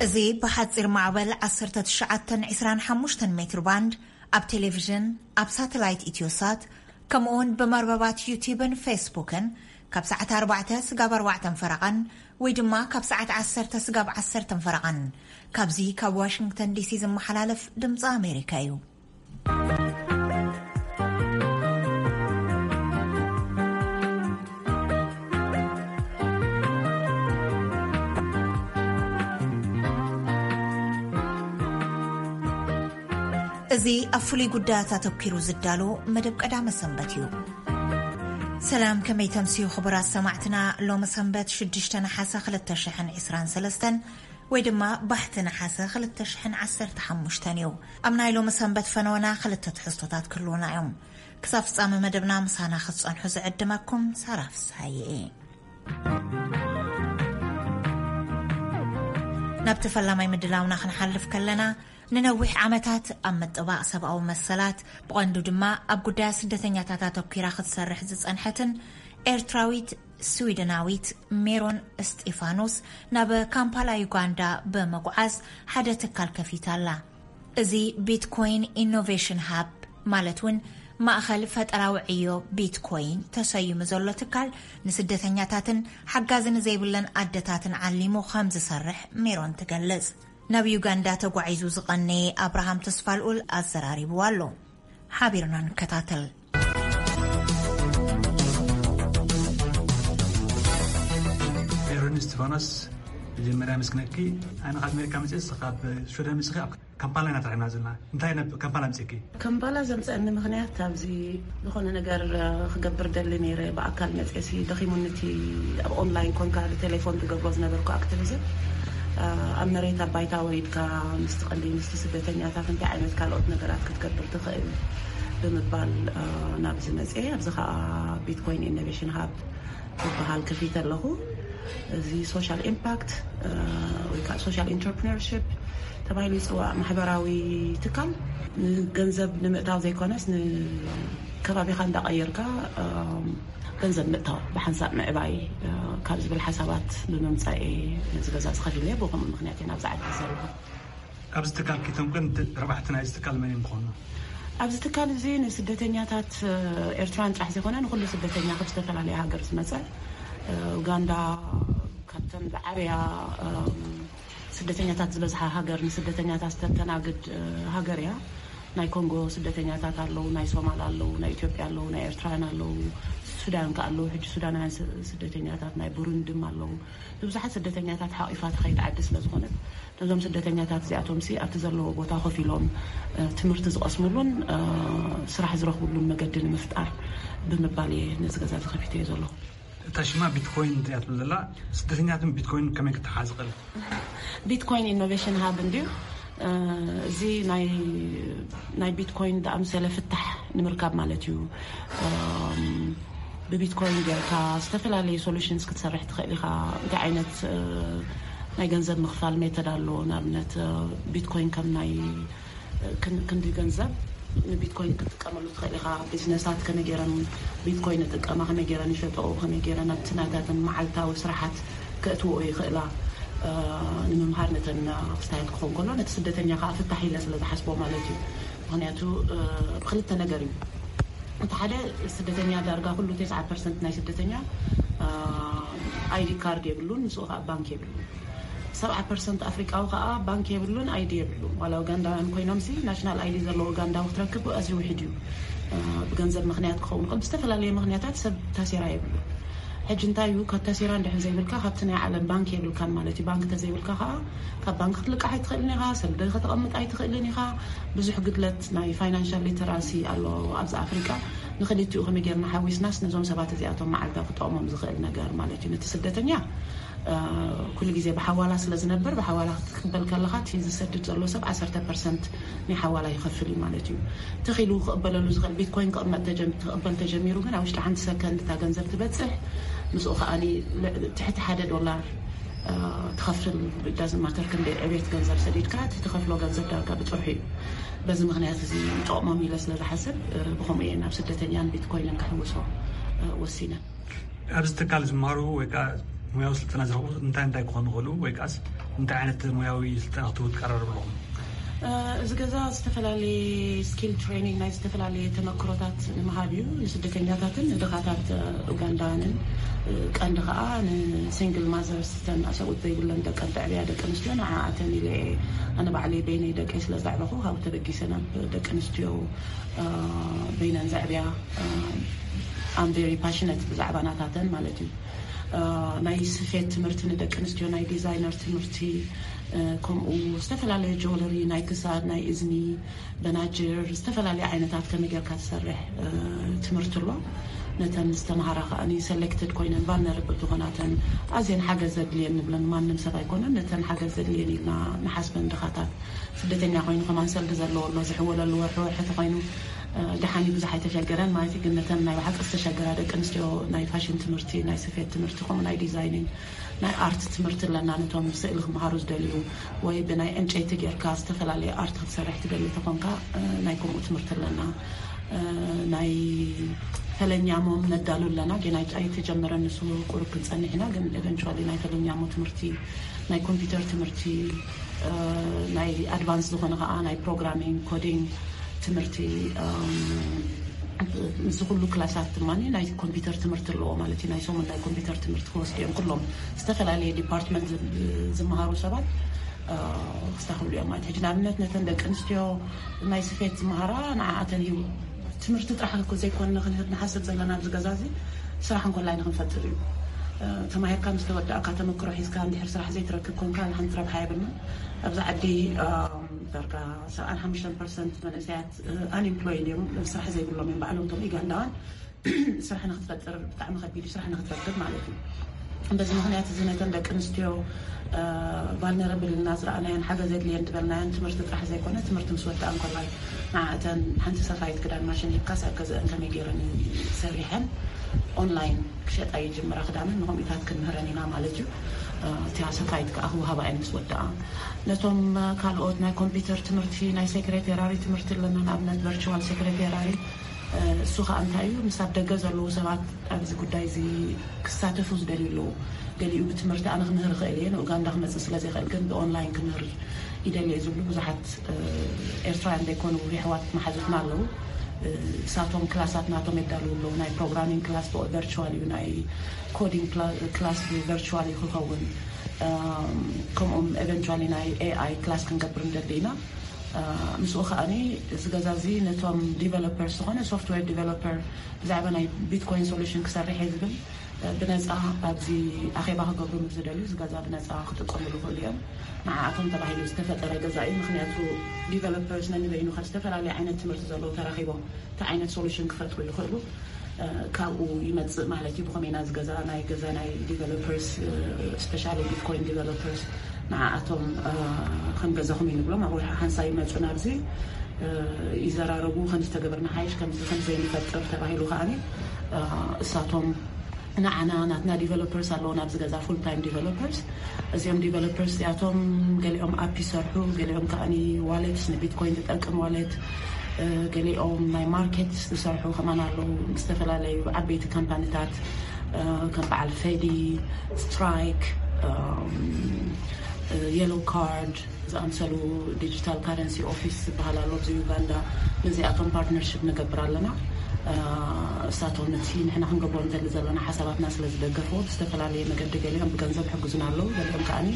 እዚ ብሓጺር ማዕበል ዓሰርተ ትሽዓተ ዕስራን ሓሙሽተን ሜትር ባንድ ኣብ ቴሌቪዥን፣ ኣብ ሳተላይት ኢትዮሳት፣ ከምኡውን ብመርበባት ዩቲብን ፌስቡክን ካብ ሰዓት ኣርባዕተ ስጋብ ኣርባዕተን ፈረቓን ወይ ድማ ካብ ሰዓት ዓሰርተ ስጋብ ዓሰርተን ፈረቓን ካብዚ ካብ ዋሽንግተን ዲሲ ዝመሓላለፍ ድምፂ ኣሜሪካ እዩ። እዚ ኣብ ፍሉይ ጉዳያት ኣተኲሩ ዝዳሎ መደብ ቀዳመ ሰንበት እዩ። ሰላም፣ ከመይ ተምስዩ ክቡራት ሰማዕትና? ሎሚ ሰንበት ሽዱሽተ ነሓሰ ክልተ ሽሕን ዕስራን ሰለስተን ወይ ድማ ባሕቲ ነሓሰ ክልተ ሽሕን ዓሰርተ ሓሙሽተን እዩ። ኣብ ናይ ሎሚ ሰንበት ፈነወና ክልተ ትሕዝቶታት ክህልዉና እዮም። ክሳብ ፍጻመ መደብና ምሳና ክትጸንሑ ዝዕድመኩም ሳራ ፍስሃየ እየ። ናብቲ ፈላማይ ምድላውና ክንሓልፍ ከለና፣ ንነዊሕ ዓመታት ኣብ ምጥባቕ ሰብኣዊ መሰላት፣ ብቐንዱ ድማ ኣብ ጉዳያት ስደተኛታት ኣተኲራ ክትሰርሕ ዝጸንሐትን ኤርትራዊት ስዊድናዊት ሜሮን እስጢፋኖስ ናብ ካምፓላ ዩጋንዳ ብምጉዓዝ ሓደ ትካል ከፊታ ኣላ። እዚ ቢትኮይን ኢኖቬሽን ሃብ ማለት እውን ማእኸል ፈጠራዊ ዕዮ ቢትኮይን ተሰይሙ ዘሎ ትካል ንስደተኛታትን ሓጋዚ ንዘይብለን ኣደታትን ዓሊሙ ከም ዝሰርሕ ሜሮን ትገልጽ። ናብ ዩጋንዳ ተጓዒዙ ዝቐነየ ኣብርሃም ተስፋልኡል ኣዘራሪብዋ ኣሎ። ሓቢርና ንከታተል። ሜሮን እስጢፋኖስ፣ መጀመርያ ምስግነኪ። ኣነ ካብ ኣሜሪካ መፅእስ ካብ ሽወደን መፅእኺ ኣብ ካምፓላ ኢና ተራኺብና ዘለና። እንታይ ናብ ካምፓላ ኣምፅእኪ? ካምፓላ ዘምፀአኒ ምኽንያት ኣብዚ ዝኾነ ነገር ክገብር ደሊ ነይረ። ብኣካል መፅእሲ ደኺሙኒ እቲ ኣብ ኦንላይን ኮንካ ብቴሌፎን ትገብሮ ዝነበርኩ ኣክቲቪዝም። ኣብ መሬት ኣብ ባይታ ወሪድካ ምስቲ ቀንዲ ምስቲ ስደተኛታት እንታይ ዓይነት ካልኦት ነገራት ክትገብር ትኽእል ብምባል ናብዚ መፅአ። ኣብዚ ከዓ ቢትኮይን ኢኖቬሽን ሃብ ዝበሃል ከፊተ ኣለኹ። እዚ ሶሻል ኢምፓክት ወይ ከዓ ሶሻል ኢንተርፕረነርሺፕ ተባሂሉ ይፅዋዕ። ማሕበራዊ ትካል ንገንዘብ ንምእታው ዘይኮነስ ንከባቢኻ እንዳቐየርካ ገንዘብ ምእታው ብሓንሳብ ምዕባይ ካብ ዝብል ሓሳባት ብምምፃእ ነዚ ገዛ ዝኸፊለ። ብኸምኡ ምክንያት እየ ናብዚ ዓዲ ዘለኹ። ኣብዚ ትካል ኪቶም ግን ረባሕቲ ናይዚ ትካል መን እዮም ዝኾኑ? ኣብዚ ትካል እዚ ንስደተኛታት ኤርትራን ጥራሕ ዘይኮነ ንኩሉ ስደተኛ ካብ ዝተፈላለየ ሃገር ዝመፀ፣ ኡጋንዳ ካብተን ዝዓበያ ስደተኛታት ዝበዝሓ ሃገር ንስደተኛታት ዝተተናግድ ሃገር እያ። ናይ ኮንጎ ስደተኛታት ኣለዉ፣ ናይ ሶማል ኣለዉ፣ ናይ ኢትዮጵያ ኣለዉ፣ ናይ ኤርትራውያን ኣለዉ፣ ሱዳን ከ ኣለዉ። ሕጂ ሱዳናውያን ስደተኛታት ናይ ቡሩንድም ኣለዉ። ንብዙሓት ስደተኛታት ሓቂፋ ትኸይድ ዓዲ ስለ ዝኾነት ነዞም ስደተኛታት እዚኣቶም ሲ ኣብቲ ዘለዎ ቦታ ኮፍ ኢሎም ትምህርቲ ዝቐስምሉን ስራሕ ዝረኽብሉን መገዲ ንምፍጣር ብምባል እየ ነዚ ገዛ ዝኸፊተ እየ ዘለኹ። እታ ሽማ ቢትኮይን እያ ትብል ዘላ፣ ስደተኛትን ቢትኮይን ከመይ ክተሓዝ ይኽእል? ቢትኮይን ኢኖቬሽን ሃብ እንድዩ። እዚ ናይ ቢትኮይን ዝኣምሰለ ፍታሕ ንምርካብ ማለት እዩ። ብቢትኮይን ጌርካ ዝተፈላለዩ ሶሉሽንስ ክትሰርሕ ትኽእል ኢኻ። እንታይ ዓይነት ናይ ገንዘብ ምኽፋል ሜተድ ኣሎ? ንኣብነት ቢትኮይን ከም ናይ ክንዲ ገንዘብ ንቢትኮይን ክትጥቀመሉ ትኽእል ኢኻ። ቢዝነሳት ከመይ ገይረን ቢትኮይን ይጥቀማ፣ ከመይ ገይረን ይሸጠኦ፣ ከመይ ገይረን ኣብቲ ናታተን መዓልታዊ ስራሓት ከእትዎ ይኽእላ። ንምምሃር ነተን ክስታያት ክኸውን ከሎ ነቲ ስደተኛ ከዓ ፍታሕ ኢለ ስለ ዝሓስቦ ማለት እዩ። ምክንያቱ ብክልተ ነገር እዩ። እቲ ሓደ ስደተኛ ዳርጋ ኩሉ ተስዓ ፐርሰንት ናይ ስደተኛ ኣይዲ ካርድ የብሉን፣ ንስኡ ከዓ ባንክ የብሉን። ሰብዓ ፐርሰንት ኣፍሪቃዊ ከዓ ባንክ የብሉን፣ ኣይዲ የብሉን። ዋላ ኡጋንዳውያን ኮይኖም ሲ ናሽናል ኣይዲ ዘለዎ ኡጋንዳዊ ክትረክብ ኣዝዩ ውሕድ እዩ። ብገንዘብ ምክንያት ክኸውን ይኽእል፣ ብዝተፈላለየ ምክንያታት ሰብ ታሴራ የብሉን። ሕጂ እንታይ እዩ፣ ካብ ታሴራ እንድሕር ዘይብልካ ካብቲ ናይ ዓለም ባንክ የብልካን ማለት እዩ። ባንክ ተዘይብልካ ከዓ ካብ ባንክ ክትልቃሕ ኣይትኽእልን ኢኻ፣ ሰልዲ ከተቐምጥ ኣይትኽእልን ኢኻ። ብዙሕ ግድለት ናይ ፋይናንሻል ሊተራሲ ኣሎ ኣብዚ ኣፍሪቃ። ንክልቲኡ ከመይ ጌርና ሓዊስናስ ነዞም ሰባት እዚኣቶም መዓልታ ክጠቕሞም ዝኽእል ነገር ማለት እዩ። ነቲ ስደተኛ ኩሉ ግዜ ብሓዋላ ስለ ዝነብር ብሓዋላ ክትቅበል ከለኻ እቲ ዝሰድድ ዘሎ ሰብ ዓሰርተ ፐርሰንት ናይ ሓዋላ ይኸፍል እዩ ማለት እዩ። ተኺሉ ክቕበለሉ ዝኽእል ቢትኮይን ክቕመጥ ተጀም- ክቕበል ተጀሚሩ ግን ኣብ ውሽጢ ሓንቲ ሰከንድ እታ ገንዘብ ትበፅሕ። ምስኡ ከዓኒ ል- ትሕቲ ሓደ ዶላር ትኸፍል። ዳዝን ማተር ክንደይ ዕቤት ገንዘብ ሰዲድካ እቲ ትኸፍሎ ገንዘብ ዳርጋ ብፅርሑ እዩ። በዚ ምክንያት እዚ ይጠቕሞም ኢለ ስለ ዝሓስብ ብኸምኡ እየ ናብ ስደተኛን ቢትኮይንን ክሕውሶ ወሲነ። ኣብዚ ትካል ዝመሃሩ ወይ ከዓ ሙያዊ ስልጠና ዝረኽቡ እንታይ እንታይ ክኾኑ ይኽእሉ ወይ ከዓስ እንታይ ዓይነት ሙያዊ ስልጠና ክትህቡ ትቀራረቡ ኣለኹም? እዚ ገዛ ዝተፈላለየ ስኪል ትሬኒንግ ናይ ዝተፈላለየ ተመክሮታት ንምሃብ እዩ። ንስደተኛታትን ንድኻታት ኡጋንዳውያንን ቀንዲ ከዓ ንሲንግል ማዘርስ ተን ኣሰብኡት ዘይብለን ደቀን ተዕብያ ደቂ ኣንስትዮ ንዓኣተን ኢለ እየ ኣነ ባዕለይ በይነይ ደቀይ ስለ ዘዕበኹ ካብኡ ተበጊሰ ናብ ደቂ ኣንስትዮ በይነን ዘዕብያ ኣም ቨሪ ፓሽነት ብዛዕባ ናታተን ማለት እዩ። ናይ ስፌት ትምህርቲ ንደቂ ኣንስትዮ ናይ ዲዛይነር ትምህርቲ ከምኡ ዝተፈላለዩ ጆለሪ ናይ ክሳድ ናይ እዝኒ በናጅር ዝተፈላለዩ ዓይነታት ከመይ ጌርካ ትሰርሕ ትምህርቲ ኣሎ። ነተን ዝተምሃራ ከዓ ሰሌክትድ ኮይነን ቫልነረብል ዝኾናተን ኣዝየን ሓገዝ ዘድልየን ንብለን ማንም ሰብ ኣይኮነን። ነተን ሓገዝ ዘድልየን ኢልና ንሓስበን ድኻታት ስደተኛ ኮይኑ ከማን ሰልዲ ዘለዎ ኣሎ ዝሕወለሉ ወርሒ ወርሒ ተኮይኑ ደሓኒ ብዙሕ ኣይተሸገረን ማለት ግን ነተን ናይ ብሓቂ ዝተሸገራ ደቂ ኣንስትዮ ናይ ፋሽን ትምህርቲ ናይ ስፌት ትምህርቲ ከምኡ ናይ ዲዛይኒንግ ናይ ኣርት ትምህርቲ ኣለና። ነቶም ስእሊ ክምሃሩ ዝደልዩ ወይ ብናይ ዕንጨይቲ ጌርካ ዝተፈላለየ ኣርት ክትሰርሕ ትደሊ ተኾንካ ናይ ከምኡ ትምህርቲ ኣለና። ናይ ፈለኛሞም ነዳሉ ኣለና። ገና ኣይተጀመረ ንሱ ቁሩብ ክንጸንሕ ኢና። ግን ኤቨንቹዋሊ ናይ ፈለኛሞ ትምህርቲ ናይ ኮምፒውተር ትምህርቲ ናይ ኣድቫንስ ዝኾነ ከዓ ናይ ፕሮግራሚንግ ኮዲንግ ትምህርቲ ምስ ኩሉ ክላሳት ድማ ናይ ኮምፒውተር ትምህርቲ ኣለዎ ማለት እዩ። ናይ ሰሙን ናይ ኮምፒውተር ትምህርቲ ክወስዱ እዮም ኩሎም ዝተፈላለየ ዲፓርትመንት ዝመሃሩ ሰባት ክስታክሉ እዮም ማለት ሕጂ ንኣብነት ነተን ደቂ ኣንስትዮ ናይ ስፌት ዝመሃራ ንዓኣተን እዩ ትምህርቲ ጥራሕ ዘይኮንና ክንህብ ንሓስብ ዘለና ኣብዚ ገዛ እዚ ስራሕ እንኮላይ ንክንፈጥር እዩ። ተማሂርካ ምስ ተወዳእካ ተመክሮ ሒዝካ እንድሕር ስራሕ ዘይትረክብ ኮንካ ሓንቲ ረብሓ የብልና። ኣብዚ ዓዲ ዳርጋ ሰብዓን ሓሙሽተን ፐርሰንት መንእሰያት ኣንኤምፕሎይድ እዮም፣ ስራሕ ዘይብሎም እዮም ባዕሎም እቶም ዩጋንዳውያን። ስራሕ ንክትፈጥር ብጣዕሚ ከቢድ እዩ፣ ስራሕ ንክትረክብ ማለት እዩ። በዚ ምክንያት እዚ ነተን ደቂ ኣንስትዮ ቫልነረብል ኢልና ዝረኣናየን ሓገዝ የድልየን ዝበልናየን ትምህርቲ ጥራሕ ዘይኮነ ትምህርቲ ምስ ወዳኣ እንከላይ ንዓእተን ሓንቲ ሰፋይት ክዳን ማሽን ሂብካስ ኣብ ገዛአን ከመይ ገይረን ሰሪሐን ኦንላይን ክሸጣ ይጅምራ ክዳንን ንከምኡታት ክንምህረን ኢና ማለት እዩ። እቲያ ሰፋይት ከዓ ክወሃባ እየን ምስ ወዳኣ። ነቶም ካልኦት ናይ ኮምፒውተር ትምህርቲ ናይ ሴክሬቴራሪ ትምህርቲ ኣለና ንኣብነት ቨርቹዋል ሴክሬቴራሪ እሱ ከዓ እንታይ እዩ ምስ ኣብ ደገ ዘለዉ ሰባት ኣብዚ ጉዳይ እዚ ክሳተፉ ዝደልዩ ኣለዉ። ገሊኡ ብትምህርቲ ኣነ ክምህር ይኽእል እየ ንኡጋንዳ ክመፅእ ስለ ዘይኽእል ግን ብኦንላይን ክምህር ይደሊ እየ ዝብሉ ብዙሓት ኤርትራውያን ዘይኮኑ የሕዋት መሓዙትና ኣለዉ። እሳቶም ክላሳት ናቶም የዳልዉ ኣለዉ ናይ ፕሮግራሚንግ ክላስ ቨርቹዋል እዩ ናይ ኮዲንግ ክላስ ቨርቹዋል እዩ ክኸውን። ከምኡም ኤቨንቹዋሊ ናይ ኤኣይ ክላስ ክንገብር ንደሊ ኢና። ምስኡ ከዓኒ እዚ ገዛ እዚ ነቶም ዲቨሎፐርስ ዝኾነ ሶፍትዌር ዲቨሎፐር ብዛዕባ ናይ ቢትኮይን ሶሉሽን ክሰርሕ እየ ዝብል ብነፃ ኣብዚ ኣኼባ ክገብሩ ምስ ዝደልዩ እዚ ገዛ ብነፃ ክጥቀምሉ ይኽእሉ እዮም። ንዓኣቶም ተባሂሉ ዝተፈጠረ ገዛ እዩ። ምክንያቱ ዲቨሎፐርስ ነንበይኑ ካብ ዝተፈላለዩ ዓይነት ትምህርቲ ዘለዉ ተራኺቦም እቲ ዓይነት ሶሉሽን ክፈጥሩ ይኽእሉ። ካብኡ ይመፅእ ማለት እዩ። ብኸመይ ኢና እዚ ገዛ ናይ ገዛ ናይ ዲቨሎፐርስ ስፔሻሊ ቢትኮይን ዲቨሎፐርስ ንዓኣቶም ከም ገዛኹም ይንብሎም ኣብ ወርሒ ሓንሳ ይመፁ ናብዚ ይዘራረቡ ከም ዝተገበርና ሓይሽ ከምዚ ከም ዘይንፈጥር ተባሂሉ ከዓኒ እሳቶም ንዓና ናትና ዲቨሎፐርስ ኣለዉ ናብዚ ገዛ ፉል ታይም ዲቨሎፐርስ እዚኦም ዲቨሎፐርስ እዚኣቶም ገሊኦም ኣፕ ይሰርሑ ገሊኦም ከዓኒ ዋሌትስ ንቢትኮይን ዝጠቅም ዋሌት ገሊኦም ናይ ማርኬት ዝሰርሑ ከማን ኣለዉ ዝተፈላለዩ ዓበይቲ ካምፓኒታት ከም በዓል ፌዲ ስትራይክ የሎ ካርድ ዝኣምሰሉ ዲጂታል ካረንሲ ኦፊስ ዝበሃል ኣሎ ኣብዚ ዩጋንዳ ነዚኣቶም ፓርትነርሽፕ ንገብር ኣለና። እሳቶም ነቲ ንሕና ክንገብሮ ንደሊ ዘለና ሓሳባትና ስለ ዝደገፍዎ ብዝተፈላለየ መገዲ ገሊኦም ብገንዘብ ይሕግዙና ኣለዉ ገሊኦም ከዓኒ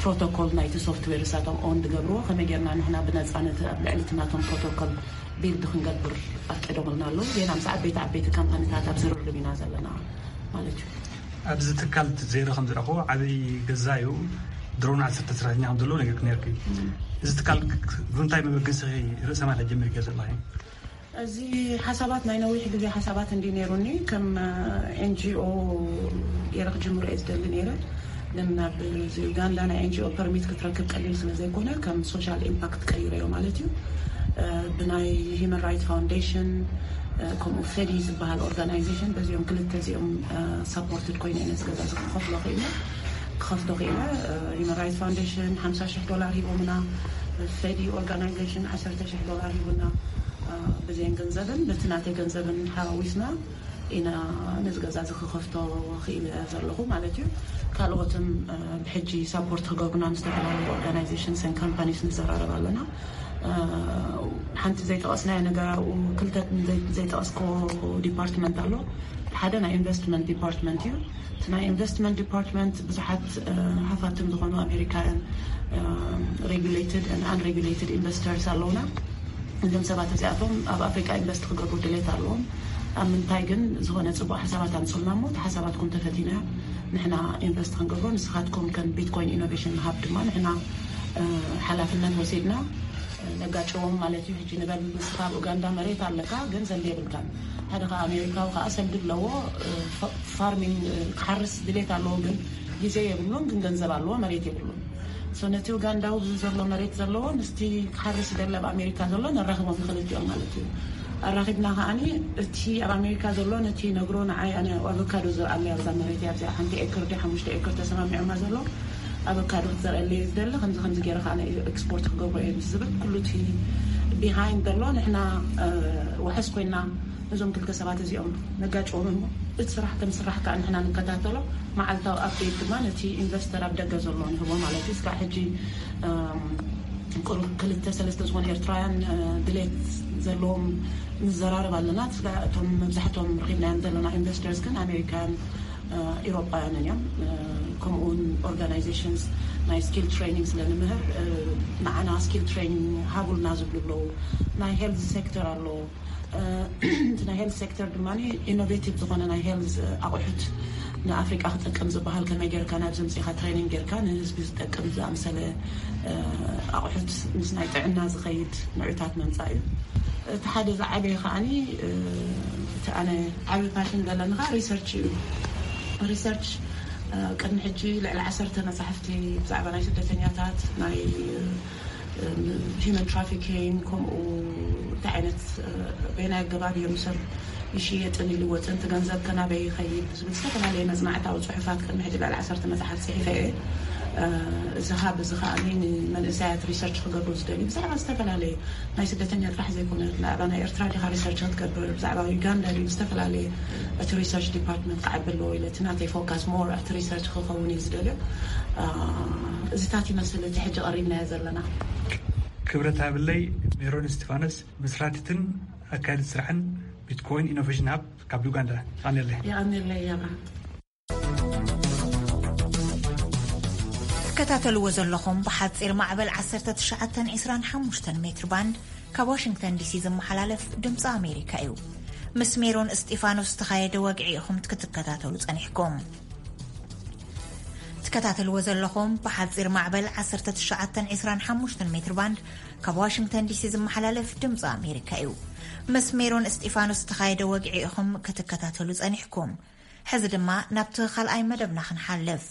ፕሮቶኮል ናይቲ ሶፍትዌር እሳቶም ኦን ዝገብርዎ ከመይ ጌርና ንሕና ብነፃ ነቲ ኣብ ልዕሊ እቲ ናቶም ፕሮቶኮል ቢልድ ክንገብር ኣፍቂዶምልና ኣለዉ ዜና ምስ ዓበይቲ ዓበይቲ ካምፓኒታት ኣብ ዝርርብ ኢና ዘለና ማለት እዩ። ኣብዚ ትካል ዜና ከም ዝረኽቦ ዓብዪ ገዛ እዩ። ድሮን ዓሰርተ ሰራሕተኛ ከም ዘለዎ ነጊርክ ነርኪ። እዚ ትካል ብምንታይ መበገሲ ርእሰ ማል ጀሚርክዮ ዘለኺ? እዚ ሓሳባት ናይ ነዊሕ ግዜ ሓሳባት እንዲ ነይሩኒ ከም ኤንጂኦ ገይረ ክጅምሮ እየ ዝደሊ ነይረ። ግን ናብ ዩጋንዳ ናይ ኤንጂኦ ፐርሚት ክትረክብ ቀሊል ስለ ዘይኮነ ከም ሶሻል ኢምፓክት ቀይረዮ ማለት እዩ። ብናይ ሂማን ራይት ፋውንዴሽን ከምኡ ፌዲ ዝበሃል ኦርጋናይዜሽን በዚኦም ክልተ እዚኦም ሳፖርትድ ኮይነ ነዚ ገዛ እዚ ክኸፍሎ ክኢለ ክኸፍቶ ክኢለ። ሂማን ራይት ፋውንዴሽን ሓምሳ ሽሕ ዶላር ሂቦምና፣ ፌዲ ኦርጋናይዜሽን ዓሰርተ ሽሕ ዶላር ሂቡና። በዚአን ገንዘብን በቲ ናተይ ገንዘብን ሓዋዊስና ኢና ነዚ ገዛ እዚ ክኸፍቶ ክኢለ ዘለኹ ማለት እዩ። ካልኦትም ብሕጂ ሳፖርት ክገብሩና ምስ ዝተፈላለዩ ኦርጋናይዜሽንስን ካምፓኒስ ንዘራረብ ኣለና። ሓንቲ ዘይጠቐስናዮ ነገር ኣብኡ ክልተ ዘይጠቐስኮ ዲፓርትመንት ኣሎ። ሓደ ናይ ኢንቨስትመንት ዲፓርትመንት እዩ። እቲ ናይ ኢንቨስትመንት ዲፓርትመንት ብዙሓት ሃፋትም ዝኾኑ ኣሜሪካውያን ሬጉሌትድ ኣን ኣንሬጉሌትድ ኢንቨስተርስ ኣለውና። እዞም ሰባት እዚኣቶም ኣብ ኣፍሪቃ ኢንቨስት ክገብሩ ድሌት ኣለዎም። ኣብ ምንታይ ግን ዝኾነ ጽቡቕ ሓሳባት ኣምጽልና እሞ እቲ ሓሳባትኩም ተፈቲና ንሕና ኢንቨስት ክንገብሮ ንስኻትኩም ከም ቢትኮይን ኢኖቬሽን ሃብ ድማ ንሕና ሓላፍነት ወሲድና ነጋጭዎም ማለት እዩ። ሕጂ ንበል ንስኻ ኣብ ኡጋንዳ መሬት ኣለካ፣ ገንዘብ የብልካን። ሓደ ከዓ ኣሜሪካዊ ከዓ ሰልዲ ኣለዎ፣ ፋርሚንግ ክሓርስ ድሌት ኣለዎ፣ ግን ግዜ የብሉን፣ ግን ገንዘብ ኣለዎ፣ መሬት የብሉን። ሶ ነቲ ኡጋንዳዊ ብዙ ዘሎ መሬት ዘለዎ ምስቲ ክሓርስ ደለ ኣብ ኣሜሪካ ዘሎ ነራኽቦም ንኽልቲኦም ማለት እዩ። ኣራኺብና ከዓኒ እቲ ኣብ ኣሜሪካ ዘሎ ነቲ ነግሮ ንዓይ ኣነ ኣቮካዶ ዝርኣለይ ኣብዛ መሬት እያ። ኣብዚኣ ሓንቲ ኤክር ዲ ሓሙሽተ ኤክር ተሰማሚዖማ ዘሎ ኣቮካዶ ክትዘርአለይ ዝደሊ ከምዚ ከምዚ ገይረ ከዓ ናይ ኤክስፖርት ክገብሮ እየ ምስ ዝብል ኩሉ እቲ ቢሃይንድ ዘሎ ንሕና ወሐስ ኮይና ነዞም ክልተ ሰባት እዚኦም ነጋጭዎም እሞ እቲ ስራሕ ከም ስራሕ ከዓ ንሕና ንከታተሎ። መዓልታዊ ኣፕዴት ድማ ነቲ ኢንቨስተር ኣብ ደገ ዘሎ ንህቦ ማለት እዩ። ስጋዕ ሕጂ ቁሩብ ክልተ ሰለስተ ዝኾኑ ኤርትራውያን ድሌት ዘለዎም ንዘራረብ ኣለና። ስጋዕ እቶም መብዛሕቶም ረኺብናዮም ዘለና ኢንቨስተርስ ግን ኣሜሪካን ኢሮጳውያንን እዮም። ከምኡውን ኦርጋናይዜሽንስ ናይ ስኪል ትሬኒንግ ስለ ንምህር ንዓና ስኪል ትሬኒንግ ሃቡልና ዝብሉ ኣለዉ። ናይ ሄልዝ ሴክተር ኣሎ። እቲ ናይ ሄልዝ ሴክተር ድማ ኢኖቬቲቭ ዝኾነ ናይ ሄልዝ ኣቑሑት ንኣፍሪቃ ክጠቅም ዝበሃል ከመይ ጌርካ ናብ ዘምፅኢኻ ትሬኒንግ ጌርካ ንህዝቢ ዝጠቅም ዝኣምሰለ ኣቑሑት ምስ ናይ ጥዕና ዝኸይድ ንዑታት መምፃእ እዩ። እቲ ሓደ ዝዓበየ ከዓኒ እቲ ኣነ ዓብዪ ፓሽን ዘለኒ ከዓ ሪሰርች እዩ። ሪሰርች ቅድሚ ሕጂ ልዕሊ ዓሰርተ መፃሕፍቲ ብዛዕባ ናይ ስደተኛታት ናይ ሂመን ትራፊኪንግ ከምኡ እንታይ ዓይነት በየናይ ኣገባብ እዮም ሰብ ይሽየጥን ይልወጥን እቲ ገንዘብ ከናበይ ይኸይድ ዝብል ዝተፈላለየ መፅናዕታዊ ፅሑፋት ቅድሚ ሕጂ ልዕሊ ዓሰርተ መፅሓፍ ፅሒፈ እየ። እዚ ሃብ እዚ ከዓ ንመንእሰያት ሪሰርች ክገብሩ ዝደልዩ ብዛዕባ ዝተፈላለየ ናይ ስደተኛ ጥራሕ ዘይኮነ ብዛዕባ ናይ ኤርትራ ዲኻ ሪሰርች ክትገብር ብዛዕባ ዩጋንዳ ድዩ ዝተፈላለየ እቲ ሪሰርች ዲፓርትመንት ክዓቢ ኣለዎ ኢለ እቲ ናተይ ፎካስ ሞር እቲ ሪሰርች ክኸውን እዩ ዝደልዮ። እዚታት ይመስል እቲ ሕጂ ቀሪብናዮ ዘለና። ክብረት ሃብለይ። ሜሮን እስቲፋኖስ መስራቲትን ኣካያዲት ስራሕን ቢትኮይን ኢኖቬሽን ሃብ ካብ ዩጋንዳ። የቐንየለይ። የቐንየለይ ኣብርሃም። ትከታተልዎ ዘለኹም ብሓፂር ማዕበል ዓሰርተ ትሽዓተን ዕስራን ሓሙሽተን ሜትር ባንድ ካብ ዋሽንግተን ዲሲ ዝመሓላለፍ ድምፂ ኣሜሪካ እዩ። ምስ ሜሮን እስጢፋኖስ ዝተኻየደ ወግዒ ኢኹም ክትከታተሉ ጸኒሕኩም። ትከታተልዎ ዘለኹም ብሓፂር ማዕበል ዓሰርተ ትሽዓተን ዕስራን ሓሙሽተን ሜትር ባንድ ካብ ዋሽንግተን ዲሲ ዝመሓላለፍ ድምፂ ኣሜሪካ እዩ። ምስ ሜሮን እስጢፋኖስ ዝተኻየደ ወግዒ ኢኹም ክትከታተሉ ጸኒሕኩም። ሕዚ ድማ ናብቲ ካልኣይ መደብና ክንሓልፍ።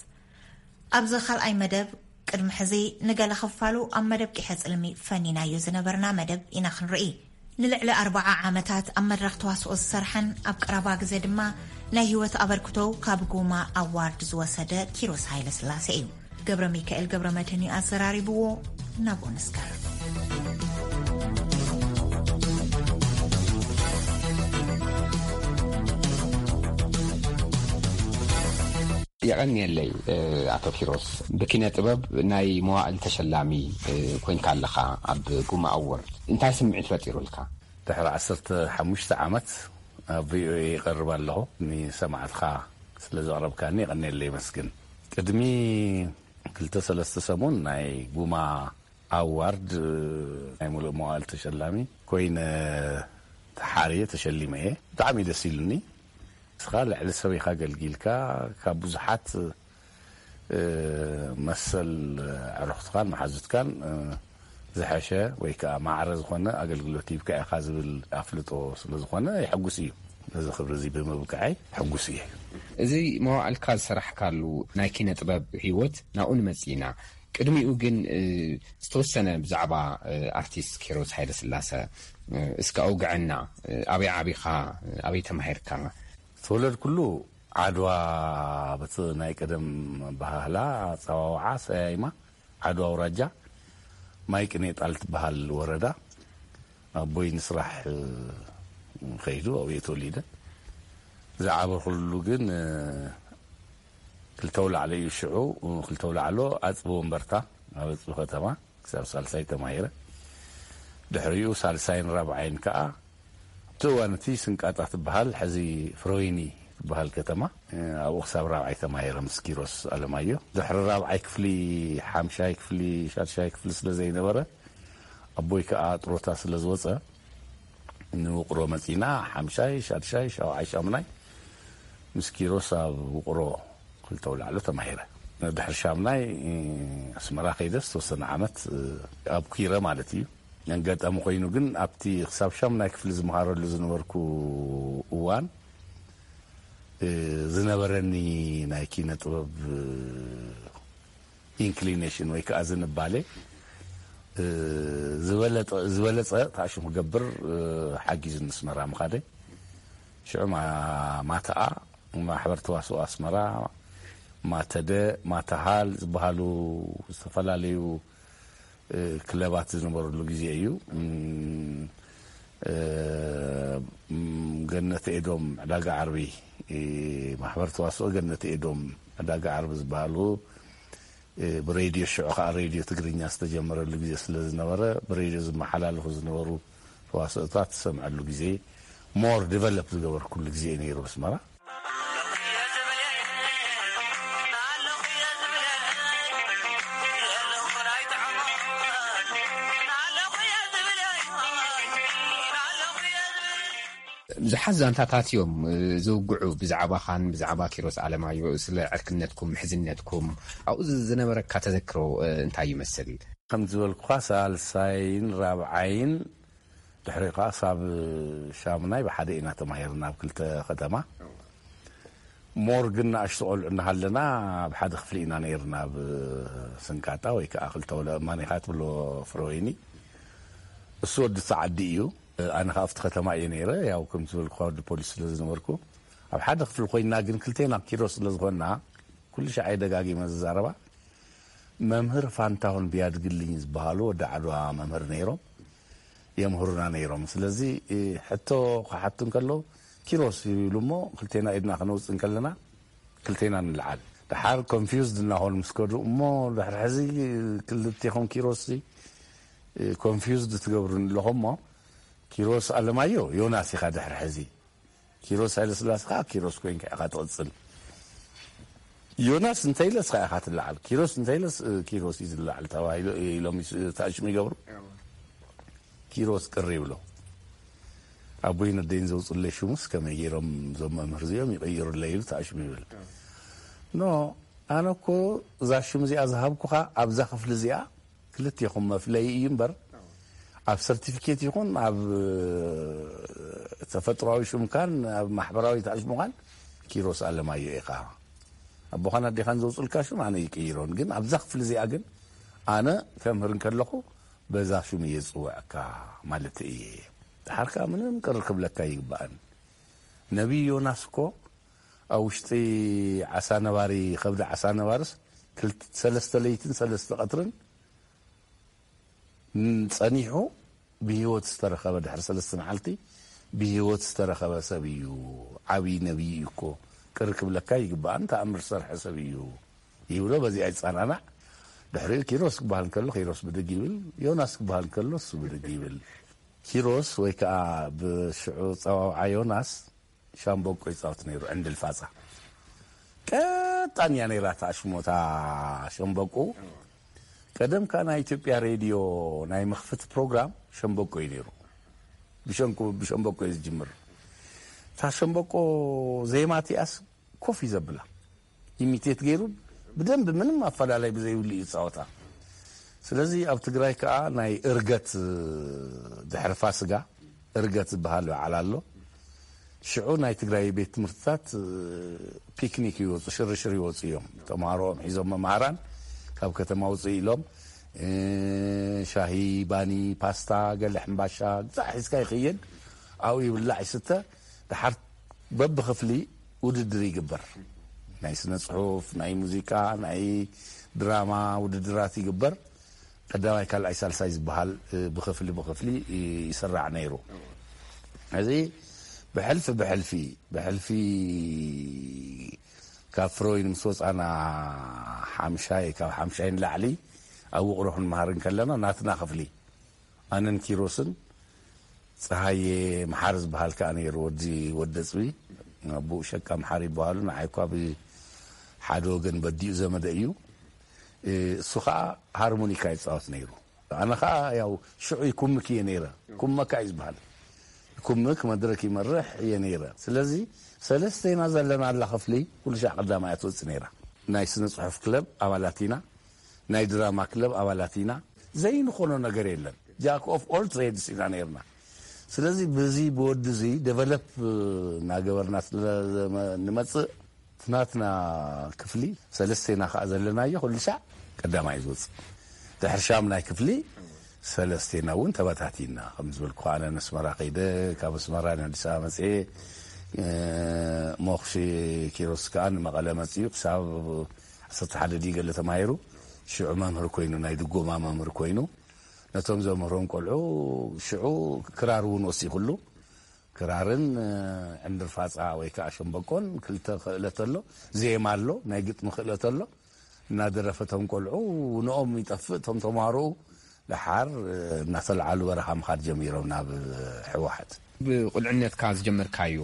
ኣብዚ ካልኣይ መደብ ቅድሚ ሕዚ ንገለ ክፋሉ ኣብ መደብ ቂሐ ጽልሚ ፈኒናዮ ዝነበርና መደብ ኢና ክንርኢ። ንልዕሊ ኣርብዓ ዓመታት ኣብ መድረኽ ተዋስኦ ዝሰርሐን ኣብ ቀረባ ግዜ ድማ ናይ ህይወት ኣበርክቶኡ ካብ ጉማ ኣዋርድ ዝወሰደ ኪሮስ ሃይለስላሴ እዩ። ገብረ ሚካኤል ገብረ መድህን እዩ ኣዘራሪብዎ። ናብኡ ንስገር። የቐንየለይ ኣቶ ኪሮስ። ብኪነ ጥበብ ናይ መዋእል ተሸላሚ ኮይንካ ኣለኻ ኣብ ጉማ ኣዎርድ። እንታይ ስምዒት ፈጢሩልካ? ድሕሪ ዓሰርተ ሓሙሽተ ዓመት ኣብ ቪኦኤ ይቐርብ ኣለኹ። ንሰማዕትኻ ስለ ዘቕረብካኒ የቐንየለይ የመስግን። ቅድሚ ክልተ ሰለስተ ሰሙን ናይ ጉማ ኣዋርድ ናይ ሙሉእ መዋእል ተሸላሚ ኮይነ ተሓርየ ተሸሊመ እየ። ብጣዕሚ ደስ ኢሉኒ። ንስኻ ልዕሊ ሰብ ኢኻ ኣገልጊልካ፣ ካብ ብዙሓት መሰል ኣዕሩኽትኻን መሓዙትካን ዝሐሸ ወይ ከዓ ማዕረ ዝኾነ ኣገልግሎት ሂብካ ኢኻ ዝብል ኣፍልጦ ስለ ዝኾነ የሐጉስ እዩ። ነዚ ክብሪ እዚ ብምብቅዐይ ሕጉስ እየ። እዚ መዋእልካ ዝሰራሕካሉ ናይ ኪነ ጥበብ ህይወት ናብኡ ንመጽእ ኢና። ቅድሚኡ ግን ዝተወሰነ ብዛዕባ ኣርቲስት ኪሮስ ሃይለስላሰ እስከ ኣውግዐና። ኣበይ ዓቢኻ? ኣበይ ተማሂርካ? ዝተወለድኩሉ ዓድዋ፣ በቲ ናይ ቀደም ኣበሃህላ ኣጸዋውዓ ሰያይማ ዓድዋ ኣውራጃ ማይ ቅኔ ጣል ትበሃል ወረዳ። ኣቦይ ንስራሕ ከይዱ ኣብኡ እየ ተወሊደ። ዝዓበኹሉ ግን ክልተ ኣውላዕሎ እዩ። ሽዑ ክልተ ኣውላዕሎ ኣፅቢ ወንበርታ ኣብ ኣፅቢ ከተማ ክሳብ ሳልሳይ ተማሂረ። ድሕሪኡ ሳልሳይን ራብዓይን ከዓ ኣብቲ እዋን እቲ ስንቃጣ ትበሃል፣ ሕዚ ፍረወይኒ ትበሃል ከተማ፣ ኣብኡ ክሳብ ራብዓይ ተማሂረ ምስ ኪሮስ ኣለማዮ። ድሕሪ ራብዓይ ክፍሊ፣ ሓምሻይ ክፍሊ፣ ሻድሻይ ክፍሊ ስለ ዘይነበረ፣ ኣቦይ ከዓ ጥሮታ ስለ ዝወፀ፣ ንውቅሮ መፂና። ሓምሻይ፣ ሻድሻይ፣ ሻውዓይ፣ ሻምናይ ምስ ኪሮስ ኣብ ውቅሮ ክልተ ኣውላዕሎ ተማሂረ። ድሕሪ ሻምናይ ኣስመራ ከይደ ዝተወሰነ ዓመት ኣብ ኩይረ ማለት እዩ። ኣጋጣሚ ኮይኑ ግን ኣብቲ ክሳብ ሻምናይ ክፍሊ ዝመሃረሉ ዝነበርኩ እዋን ዝነበረኒ ናይ ኪነ ጥበብ ኢንክሊኔሽን ወይ ከዓ ዝንባሌ ዝበለፀ ተኣሽሙ ክገብር ሓጊዙ ንስመራ ምኻደ። ሽዑ ማተኣ፣ ማሕበር ተዋስኦ ኣስመራ፣ ማተደ፣ ማተሃል ዝበሃሉ ዝተፈላለዩ ክለባት ዝነበሩሉ ግዜ እዩ። ገነት ኤዶም ዕዳጋ ዓርቢ፣ ማሕበር ተዋስኦ ገነት ኤዶም ዕዳጋ ዓርቢ ዝበሃሉ ብሬድዮ፣ ሽዑ ከዓ ሬድዮ ትግርኛ ዝተጀመረሉ ግዜ ስለ ዝነበረ፣ ብሬድዮ ዝመሓላለፉ ዝነበሩ ተዋስኦታት ዝሰምዐሉ ግዜ፣ ሞር ዲቨሎፕ ዝገበርኩሉ ግዜ እዩ ነይሩ። ኣስመራ ብዙሓት ዛንታታት እዮም ዝውግዑ፣ ብዛዕባኻን ብዛዕባ ኪሮስ ኣለማዮ፣ ስለ ዕርክነትኩም፣ ምሕዝነትኩም፣ ኣብኡ ዝነበረካ ተዘክሮ እንታይ ይመስል? ከም ዝበልኩኻ፣ ሳልሳይን ራብዓይን፣ ድሕሪ ከዓ ሳብ ሻምናይ ብሓደ ኢና ተማሂርና ኣብ ክልተ ከተማ። ሞር ግን ንኣሽቱ ቆልዑ እናሃለና ኣብ ሓደ ክፍሊ ኢና ነይርና፣ ኣብ ስንቃጣ ወይ ከዓ ክልተ ወለ እማን ኢኻ ትብሎ ፍረወይኒ። እሱ ወዲ እቲ ዓዲ እዩ። ኣነ ከዓ ኣብቲ ከተማ እየ ነይረ። ያው ከም ዝበልኩኻ ወዲ ፖሊስ ስለ ዝነበርኩ ኣብ ሓደ ክፍሊ ኮይና፣ ግን ክልቴና ኪሮስ ስለ ዝኾንና ኩሉ ሻዕ እየ ደጋጊመ ዝዛረባ። መምህር ፋንታሁን ቢያድግልኝ ዝበሃሉ ወዲ ዓድዋ መምህር ነይሮም፣ የምህሩና ነይሮም። ስለዚ ሕቶ ክሓቱ እንከለዉ ኪሮስ ይብሉ እሞ ክልቴና ኢድና ክነውፅእ እንከለና ክልቴና ንልዓል። ደሓር ኮንፊውዝድ እናኾኑ ምስ ከዱ እሞ ድሕሪ ሕዚ ክልቴኹም ኪሮስ ኮንፊውዝድ ትገብሩኒ ኣለኹም እሞ ኪሮስ ኣለማዮ ዮናስ ኢኻ ድሕሪ ሕዚ። ኪሮስ ሃይለስላሴ ከዓ ኪሮስ ኮይንካ ኢኻ ትቕፅል። ዮናስ እንተይለ እስኻ ኢኻ ትለዓል፣ ኪሮስ እንተይለስ ኪሮስ እዩ ዝለዓል ተባሂሉ ኢሎም ይስ- ተኣሽሙ ይገብሩ። ኪሮስ ቅር ይብሎ። ኣቦይን ኣደይን ዘውፅለይ ሽሙስ ከመይ ገይሮም እዞም መምህር እዚኦም ይቕይሩለይ ኢሉ ተኣሽሙ ይብል። ኖ፣ ኣነ እኮ እዛ ሽም እዚኣ ዝሃብኩኻ ኣብዛ ክፍሊ እዚኣ ክልቴኹም መፍለዪ እዩ እምበር፣ ኣብ ሰርቲፊኬት ይኹን ኣብ ተፈጥሮኣዊ ሽምካን ኣብ ማሕበራዊ ተኣሽሙኻን ኪሮስ ኣለማዮ ኢኻ። ኣቦኻን ኣዴኻን ዘውፅልካ ሽም ኣነ ይቅይሮን፣ ግን ኣብዛ ክፍሊ እዚኣ ግን ኣነ ከምህር እንከለኹ በዛ ሽም እየ ዝፅውዐካ ማለት እየ። ደሓር ከዓ ምንም ቅር ክብለካ ይግባእን። ነቢይ ዮናስ እኮ ኣብ ውሽጢ ዓሳ ነባሪ፣ ከብዲ ዓሳ ነባርስ ክልተ፣ ሰለስተ ለይትን ሰለስተ ቀትርን ጸኒሑ ብህይወት ዝተረኸበ፣ ድሕሪ ሰለስተ መዓልቲ ብህይወት ዝተረኸበ ሰብ እዩ። ዓብዪ ነቢይ እዩ እኮ፣ ቅር ክብለካ ይግባእን፣ ተኣምር ዝሰርሐ ሰብ እዩ ይብሎ። በዚኣ ይጸናናዕ። ድሕሪኡ ኪሮስ ክበሃል እንከሎ ኪሮስ ብድግ ይብል፣ ዮናስ ክበሃል እንከሎ እሱ ብድግ ይብል። ኪሮስ ወይ ከዓ ብሽዑ ጸዋውዓ ዮናስ ሻምበቆ ይጻወት ነይሩ፣ ዕንድል ፋጻ። ቀጣን እያ ነይራ እታ ሽሞታ ሸምበቆ። ቀደም ከኣ ናይ ኢትዮጵያ ሬድዮ ናይ መኽፈቲ ፕሮግራም ሸምበቆ እዩ ነይሩ። ብሸንቁ-፣ ብሸምበቆ እዩ ዝጅምር። እታ ሸምበቆ ዜማ እቲኣስ ኮፍ እዩ ዘብላ። ኢሚቴት ገይሩ ብደንብ ምንም ኣፈላላይ ብዘይብሉ እዩ ዝጻወታ። ስለዚ ኣብ ትግራይ ከኣ ናይ እርገት፣ ድሕሪ ፋስጋ እርገት ዝበሃል በዓል ኣሎ። ሽዑ ናይ ትግራይ ቤት ትምህርትታት ፒክኒክ ይወፁ፣ ሽርሽር ይወፁ እዮም። ተምሃሮኦም ሒዞም መምሃራን ካብ ከተማ ውፅእ ኢሎም፣ እ፣ ሻሂ፣ ባኒ፣ ፓስታ፣ ገለ ሕምባሻ፣ ግዛዕ ሒዝካ ይኽየድ። ኣብኡ ይብላዕ ይስተ። ደሓር በብክፍሊ ውድድር ይግበር። ናይ ስነ ጽሑፍ፣ ናይ ሙዚቃ፣ ናይ ድራማ ውድድራት ይግበር። ቀዳማይ፣ ካልኣይ፣ ሳልሳይ ዝበሃል፣ እ፣ ብክፍሊ ብክፍሊ፣ እ፣ ይስራዕ ነይሩ። እዚ ብሕልፊ ብሕልፊ ብሕልፊ ካብ ፍሮይን ምስ ወፃና ሓምሻይ ካብ ሓምሻይ ንላዕሊ ኣብ ውቕሮ ክንመሃር እንከለና ናትና ክፍሊ ኣነን ኪሮስን ፀሃየ መሓሪ ዝበሃል ከዓ ነይሩ። ወዲ ወደ ፅቢ ኣቦኡ ሸቃ መሓሪ ይበሃሉ። ንዓይ እኳ ብሓደ ወገን በዲኡ ዘመደ እዩ። እሱ ከዓ ሃርሞኒካ ይፃወት ነይሩ። ኣነ ከዓ ያው ሽዑ ይኩምክ እየ ነይረ። ኩመካ እዩ ዝበሃል። ይኩምክ መድረክ ይመርሕ እየ ነይረ። ስለዚ ሰለስቴና ዘለና ኣላ ክፍሊ ኩሉ ሻዕ ቀዳማያ ትወፅእ ነይራ። ናይ ስነ ፅሑፍ ክለብ ኣባላት ኢና። ናይ ድራማ ክለብ ኣባላት ኢና። ዘይንኾኖ ነገር የለን። ጃክ ኦፍ ኦል ትሬድስ ኢና ነይርና። ስለዚ ብዚ ብወዲ እዚ ደቨሎፕ እናገበርና ስለ ንመፅእ ናትና ክፍሊ ሰለስቴና ከዓ ዘለናዮ ኩሉ ሻዕ ቀዳማይ ዝወፅእ። ድሕሪ ሻምናይ ክፍሊ ሰለስቴና እውን ተበታቲና። ከም ዝበልኩ ኣነ ነስመራ ከይደ፣ ካብ ኣስመራ ንኣዲስ ኣበባ መፅኤ፣ ሞኽሺ ኪሮስ ከዓ ንመቐለ መፅኡ ክሳብ ዓሰርተ ሓደ ድዩ ገለ ተማሂሩ። ሽዑ መምህር ኮይኑ ናይ ድጎማ መምህር ኮይኑ ነቶም ዘምህሮም ቆልዑ ሽዑ ክራር እውን ወሲኹሉ። ክራርን ዕንድር ፋፃ ወይ ከዓ ሸምበቆን ክልተ ክእለት ኣሎ። ዜማ ኣሎ፣ ናይ ግጥሚ ክእለት ኣሎ። እናደረፈ እቶም ቆልዑ ንኦም ይጠፍእ። እቶም ተምሃሮኡ ደሓር እናተለዓሉ በረኻ ምኻድ ጀሚሮም ናብ ሕወሓት። ብቁልዕነትካ ዝጀመርካዮ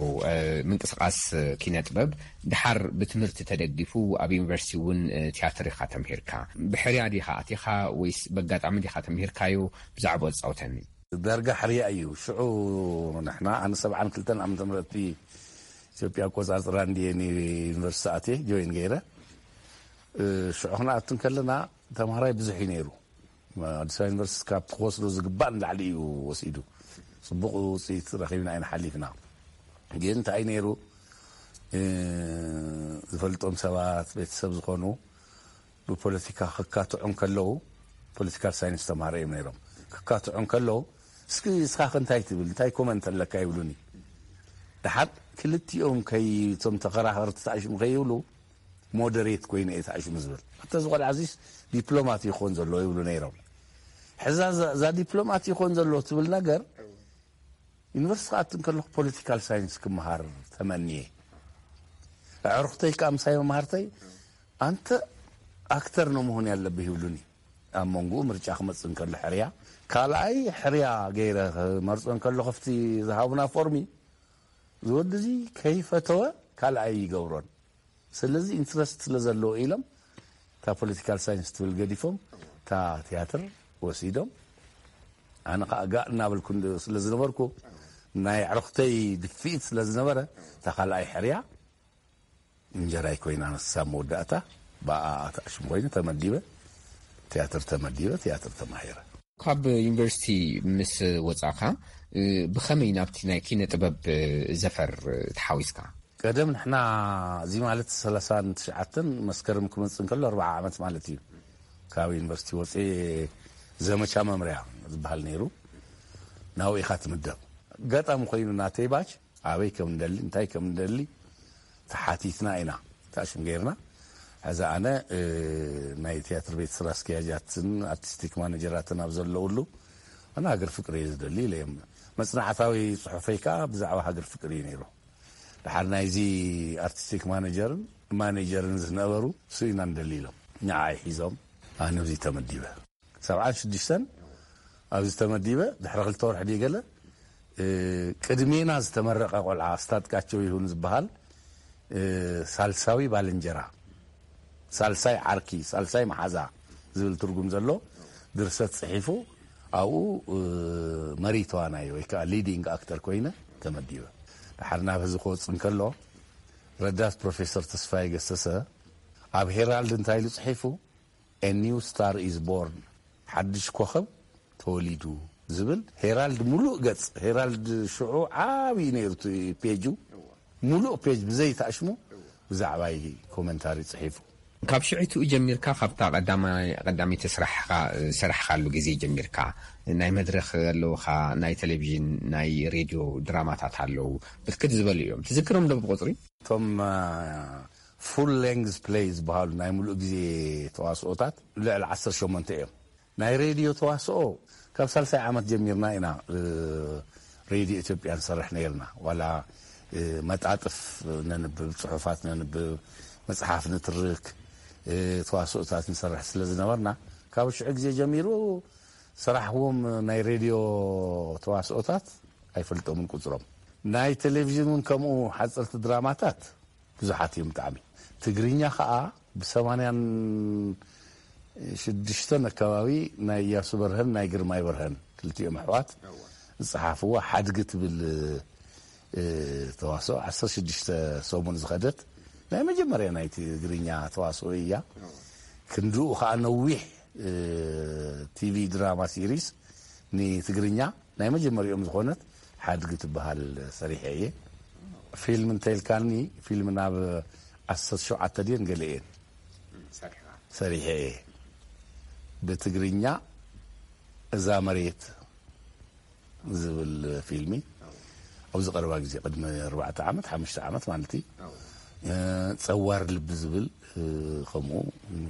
ምንቅስቃስ ኪነ ጥበብ ድሓር ብትምህርቲ ተደጊፉ ኣብ ዩኒቨርሲቲ እውን ትያትር ኢኻ ተምሂርካ። ብሕርያ ዲኻ ኣቲኻ ወይስ በጋጣሚ ዲኻ ተምሂርካዮ? ብዛዕባ ኣጻውተኒ። ዳርጋ ሕርያ እዩ። ሽዑ ንሕና ኣነ ሰብዓን ክልተን ዓመተ ምህረት ኢትዮጵያ ኣቆጻጽራ እንድየ ንዩኒቨርሲቲ ኣትየ ጆይን ገይረ። ሽዑ ክንኣቱ እንከለና ተምሃራይ ብዙሕ እዩ ነይሩ። ኣዲስ ኣበባ ዩኒቨርሲቲ ካብ ክወስዶ ዝግባእ ንላዕሊ እዩ ወሲዱ። ፅቡቕ ውፅኢት ረኺብና ኢና ሓሊፍና። ግን እንታይ ነይሩ ዝፈልጦም ሰባት ቤተሰብ ዝኾኑ ብፖለቲካ ክካትዑ እንከለዉ ፖለቲካል ሳይንስ ተምሃሮ እዮም ነይሮም። ክካትዑ እንከለዉ እስኪ እስኻ እንታይ ትብል እንታይ ኮመንት ኣለካ ይብሉኒ። ድሓር ክልቲኦም ከይ እቶም ተኸራኸርቲ ተኣሽሙ ከይብሉ ሞደሬት ኮይኑ እየ ተኣሽሙ ዝብል። ኣተ ዝቆልዓ እዚስ ዲፕሎማት ይኾን ዘሎ ይብሉ ነይሮም። ሕዛ እዛ ዲፕሎማት ይኾን ዘሎ ትብል ነገር ዩኒቨርሲቲ ክኣቱ እንከለኹ ፖለቲካል ሳይንስ ክመሃር ተመንየ። ኣዕሩኽተይ ከዓ ምሳይ መምሃርተይ ኣንተ ኣክተር ነው መሆን ያለብህ ይብሉኒ። ኣብ መንጎኡ ምርጫ ክመፅእ እንከሎ ሕርያ ካልኣይ ሕርያ ገይረ ክመርፆ እንከሎ ከፍቲ ዝሃቡና ፎርሚ ዝወዲ እዚ ከይፈተወ ካልኣይ ይገብሮን። ስለዚ ኢንትረስት ስለ ዘለዎ ኢሎም እታ ፖለቲካል ሳይንስ ትብል ገዲፎም እታ ትያትር ወሲዶም። ኣነ ከዓ ጋእ እናበልኩ ስለ ዝነበርኩ ናይ ኣዕሩኽተይ ድፍኢት ስለ ዝነበረ እታ ካልኣይ ሕርያ እንጀራይ ኮይና ንሳ መወዳእታ ብኣ ተኣሽሙ ኮይኑ ተመዲበ። ትያትር ተመዲበ ትያትር ተማሂረ። ካብ ዩኒቨርሲቲ ምስ ወፃእካ ብኸመይ ናብቲ ናይ ኪነ ጥበብ ዘፈር ተሓዊስካ? ቀደም ንሕና እዚ ማለት ሰላሳን ትሽዓተን መስከረም ክመፅእ እንከሎ ኣርባዓ ዓመት ማለት እዩ። ካብ ዩኒቨርሲቲ ወፅኤ ዘመቻ መምርያ ዝበሃል ነይሩ። ናብኡ ኢኻ ትምደብ። ኣጋጣሚ ኮይኑ ናተይ ባች ኣበይ ከም እንደሊ እንታይ ከም እንደሊ ተሓቲትና ኢና ተኣሽም ገይርና። ሕዚ ኣነ ናይ ትያትር ቤት ስራ ኣስኪያጃትን ኣርቲስቲክ ማነጀራትን ኣብ ዘለውሉ ኣነ ሃገር ፍቅሪ እየ ዝደሊ ኢለ እዮም። መፅናዕታዊ ፅሑፈይ ከዓ ብዛዕባ ሃገር ፍቅሪ እዩ ነይሩ። ድሓር ናይዚ ኣርቲስቲክ ማነጀርን ማኔጀርን ዝነበሩ እሱ ኢና ንደሊ ኢሎም ንዓይ ሒዞም ኣነ ኣብዚ ተመዲበ። ሰብዓን ሽዱሽተን ኣብዚ ተመዲበ ድሕሪ ክልተ ወርሒ ድዩ ገለ ቅድሜና ዝተመረቐ ቆልዓ ኣስታጥቃቸው ይሁን ዝበሃል ሳልሳዊ ባልንጀራ ሳልሳይ ዓርኪ ሳልሳይ መሓዛ ዝብል ትርጉም ዘሎ ድርሰት ፅሒፉ ኣብኡ መሪ ተዋናይ ወይ ከዓ ሊዲንግ ኣክተር ኮይነ ተመዲበ። ድሓር ናብ ህዝቢ ክወፅእ እንከሎ ረዳት ፕሮፌሰር ተስፋይ ገሰሰ ኣብ ሄራልድ እንታይ ኢሉ ፅሒፉ A new star is born ሓድሽ ኮኸብ ተወሊዱ ዝብል ሄራልድ ሙሉእ ገፅ ሄራልድ ሽዑ ዓብዪ ነይሩ እቲ ፔጁ ሙሉእ ፔጅ ብዘይተኣሽሙ ብዛዕባይ ኮመንታሪ ፅሒፉ። ካብ ሽዕትኡ ጀሚርካ ካብታ ቀዳሚቲ ስራሕካ ዝሰራሕካሉ ግዜ ጀሚርካ ናይ መድረክ ኣለውካ ናይ ቴሌቪዥን ናይ ሬድዮ ድራማታት ኣለዉ ብርክት ዝበሉ እዮም ትዝክሮም ዶ ብቁፅሪ? እቶም ፉል ሌንግዝ ፕሌይ ዝበሃሉ ናይ ሙሉእ ግዜ ተዋስኦታት ልዕሊ ዓሰርተ ሸሞንተ እዮም። ናይ ሬድዮ ተዋስኦ ካብ ሳልሳይ ዓመት ጀሚርና ኢና። ሬድዮ ኢትዮጵያ ንሰርሕ ነይርና። ዋላ መጣጥፍ ነንብብ፣ ጽሑፋት ነንብብ፣ መጽሓፍ ንትርክ፣ ተዋስኦታት ንሰርሕ ስለ ዝነበርና፣ ካብ ሽዑ ግዜ ጀሚሩ ስራሕዎም ናይ ሬድዮ ተዋስኦታት ኣይፈልጦምን ቁጽሮም። ናይ ቴሌቪዥን እውን ከምኡ ሓጸርቲ ድራማታት ብዙሓት እዮም ብጣዕሚ። ትግርኛ ኸኣ ብሰማንያን ሽዱሽተን ኣከባቢ ናይ እያሱ በርሀን ናይ ግርማይ በርሀን ክልቲኦም ኣሕዋት ዝጸሓፍዋ ሓድጊ ትብል ተዋስኦ ዓሰርተ ሽዱሽተ ሰሙን ዝኸደት ናይ መጀመርያ ናይ ትግርኛ ተዋስኦ እያ። ክንድኡ ኸኣ ነዊሕ ቲቪ ድራማ ሲሪስ ንትግርኛ ናይ መጀመሪኦም ዝኾነት ሓድጊ ትበሃል ሰሪሐ እየ። ፊልም እንተልካኒ፣ ፊልም ናብ ዓሰርተ ሸውዓተ ድየን ገለ እየን ሰሪሐ እየ። ብትግርኛ እዛ መሬት ዝብል ፊልሚ ኣብዚ ቀረባ ግዜ፣ ቅድሚ ኣርባዕተ ዓመት፣ ሓሙሽተ ዓመት ማለት እዩ። ጸዋር ልቢ ዝብል ከምኡ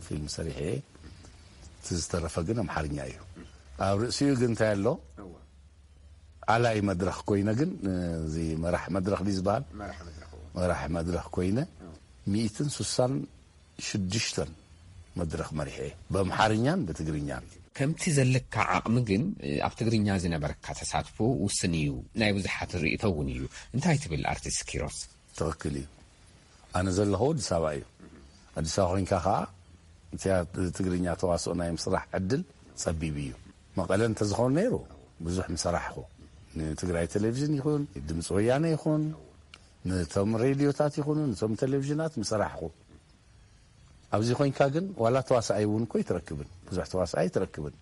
ፊልም ሰሪሐ እየ። እቲ ዝተረፈ ግን ኣምሓርኛ እዩ። ኣብ ርእሲኡ ግን እንታይ ኣሎ? ኣላይ መድረኽ ኮይነ ግን፣ እዚ መራሕ መድረኽ ድዩ ዝበሃል? መራሕ መድረኽ ኮይነ ሚእትን ስሳን ሽዱሽተን መድረኽ መሪሐ እየ፣ በምሓርኛን በትግርኛን። ከምቲ ዘለካ ዓቕሚ ግን፣ ኣብ ትግርኛ ዝነበረካ ተሳትፎ ውስን እዩ፣ ናይ ብዙሓት ርእይቶ እውን እዩ። እንታይ ትብል ኣርቲስት ኪሮስ? ትኽክል እዩ። ኣነ ዘለኹ ኣዲስ ኣበባ እዩ። ኣዲስ ኣበባ ኮይንካ ኸዓ እቲያ ትግርኛ ተዋስኦ ናይ ምስራሕ ዕድል ጸቢብ እዩ። መቐለ እንተዝኸውን ነይሩ ብዙሕ ምሰራሕኹ። ንትግራይ ቴሌቪዥን ይኹን፣ ድምፂ ወያነ ይኹን፣ ነቶም ሬድዮታት ይኹኑ፣ ነቶም ቴሌቪዥናት ምሰራሕኹ። ኣብዚ ኮይንካ ግን ዋላ ተዋሳኣይ እውን እኮ ኣይትረክብን። ብዙሕ ተዋሳኣይ ኣይትረክብን።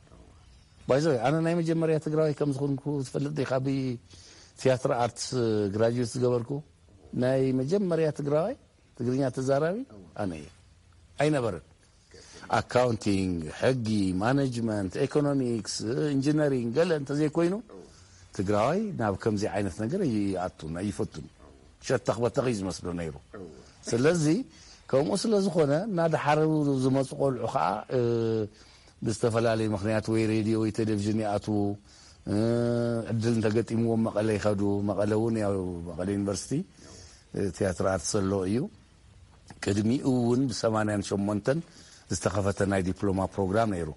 ባይዘ ኣነ ናይ መጀመርያ ትግራዋይ ከም ዝኾንኩ ትፈልጥ ዲኻ? ብቲያትር ኣርትስ ግራጁዌት ዝገበርኩ ናይ መጀመርያ ትግራዋይ ትግርኛ ተዛራቢ ኣነ እየ። ኣይነበረን። ኣካውንቲንግ፣ ሕጊ፣ ማኔጅመንት፣ ኢኮኖሚክስ፣ ኢንጂነሪንግ ገለ እንተዘይኮይኑ ትግራዋይ ናብ ከምዚ ዓይነት ነገር ኣይኣቱን ኣይፈቱን። ሸተኽ በተኽ እዩ ዝመስሎ ነይሩ። ስለዚ ከምኡ ስለ ዝኾነ እናደሓሩ ዝመፁ ቆልዑ ከዓ ብዝተፈላለየ ምኽንያት ወይ ሬድዮ ወይ ቴሌቪዥን ይኣትዉ። ዕድል እንተገጢምዎም መቐለ ይኸዱ። መቐለ እውን ያው መቐለ ዩኒቨርሲቲ ቲያትር ኣርት ዘሎ እዩ። ቅድሚኡ እውን ብሰማንያን ሸሞንተን ዝተኸፈተ ናይ ዲፕሎማ ፕሮግራም ነይሩ፣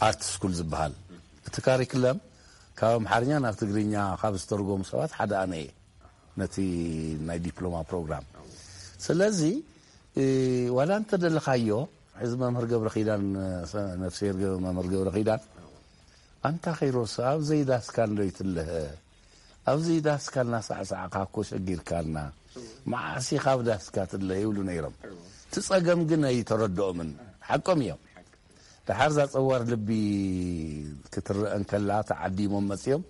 ኣርት ስኩል ዝበሃል። እቲ ካሪክለም ካብ ኣምሓርኛ ናብ ትግርኛ ካብ ዝተርጎሙ ሰባት ሓደ ኣነ እየ፣ ነቲ ናይ ዲፕሎማ ፕሮግራም። ስለዚ ዋላ እንተደለኻዮ፣ ሕዚ መምህር ገብረ ኪዳን፣ ነፍስሄር መምህር ገብረ ኪዳን፣ ኣንታ ኪሮስ፣ ኣብ ዘይዳስካ እንዶ ይትለሀ? ኣብዚ ዳስካ እናሳዕሳዕካ እኮ ሸጊርካና፣ መዓስ ኢኻ ኣብ ዳስካ ትለ ይብሉ ነይሮም። እቲ ጸገም ግን ኣይተረድኦምን። ሓቆም እዮም። ደሓር እዛ ጸዋር ልቢ ክትረአ እንከላ ተዓዲሞም መጺኦም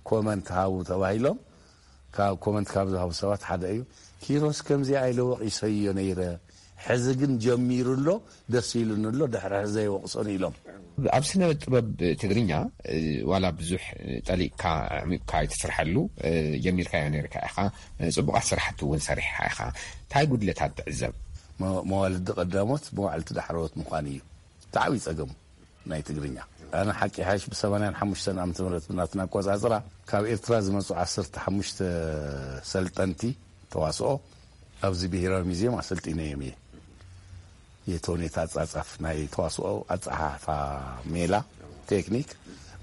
ኮመንት ሃቡ ተባሂሎም፣ ካብ ኮመንት ካብ ዝሃቡ ሰባት ሓደ እዩ። ኪሮስ ከምዚኣ ኢለ ወቒሰዮ ነይረ፣ ሕዚ ግን ጀሚሩ ኣሎ፣ ደስ ኢሉኒ ኣሎ፣ ድሕሪ ሕዚ ዘይወቕሶን ኢሎም። ኣብ ስነ ጥበብ ትግርኛ ዋላ ብዙሕ ጠሊቕካ ኣዕሚቕካ ኣይትስርሐሉ፣ ጀሚርካዮ ነርካ ኢኻ። ጽቡቓት ስራሕቲ እውን ሰሪሕካ ኢኻ። እንታይ ጉድለታት ትዕዘብ? መዋልዲ ቀዳሞት መዋዕልቲ ዳሕረዎት ምዃን እዩ እቲ ዓብዪ ጸገሙ ናይ ትግርኛ። ኣነ ሓቂ ሓይሽ ብ ሰማንያን ሓሙሽተን ዓመተ ምህረት ብናትና ኣቆጻጽራ ካብ ኤርትራ ዝመጹ ዓሰርተ ሓሙሽተ ሰልጠንቲ ተዋስኦ ኣብዚ ብሄራዊ ሙዚየም ኣሰልጢነዮም እየ። የተውኔት ኣጻጻፍ፣ ናይ ተዋስኦ ኣጸሓሕፋ ሜላ፣ ቴክኒክ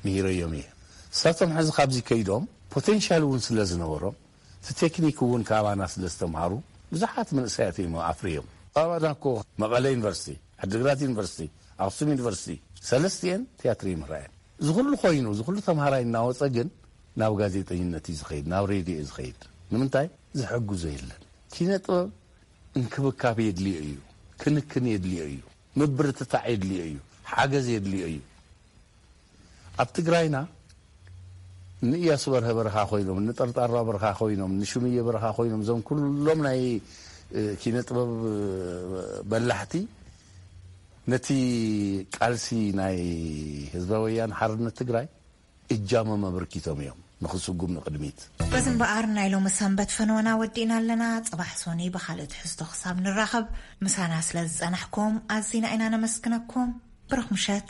ምሂረዮም እየ። እሳቶም ሕዚ ካብዚ ከይዶም ፖቴንሻል እውን ስለ ዝነበሮም፣ እቲ ቴክኒክ እውን ካባና ስለ ዝተምሃሩ ብዙሓት መንእሰያት እዮም ኣፍርዮም። ኣባና እኮ መቐለ ዩኒቨርሲቲ፣ ዓዲግራት ዩኒቨርሲቲ፣ ኣክሱም ዩኒቨርሲቲ፣ ሰለስቲኤን ትያትር ይምህራየን። እዚ ኩሉ ኮይኑ፣ እዚ ኩሉ ተምሃራይ እናወፀ ግን ናብ ጋዜጠኝነት እዩ ዝኸይድ፣ ናብ ሬድዮ እዩ ዝኸይድ። ንምንታይ? ዝሕግዞ የለን። ኪነ ጥበብ እንክብካብ የድልዮ እዩ፣ ክንክን የድልዮ እዩ፣ ምብርትታዕ የድልዮ እዩ፣ ሓገዝ የድልዮ እዩ። ኣብ ትግራይና ንእያሱ በርሀ በረኻ ኮይኖም፣ ንጠርጣራ በረኻ ኮይኖም፣ ንሽምየ በረኻ ኮይኖም፣ እዞም ኩሎም ናይ ኪነ ጥበብ በላሕቲ ነቲ ቃልሲ ናይ ህዝባዊ ወያነ ሓርነት ትግራይ እጃሞም ኣበርኪቶም እዮም ንኽስጉም ንቕድሚት። በዚ እምበኣር ናይ ሎሚ ሰንበት ፈነወና ወዲእና ኣለና። ጽባሕ ሶኒ ብኻልእ ትሕዝቶ ክሳብ ንራኸብ ምሳና ስለ ዝጸናሕኩም ኣዚና ኢና ነመስግነኩም። ብሩኽ ምሸት።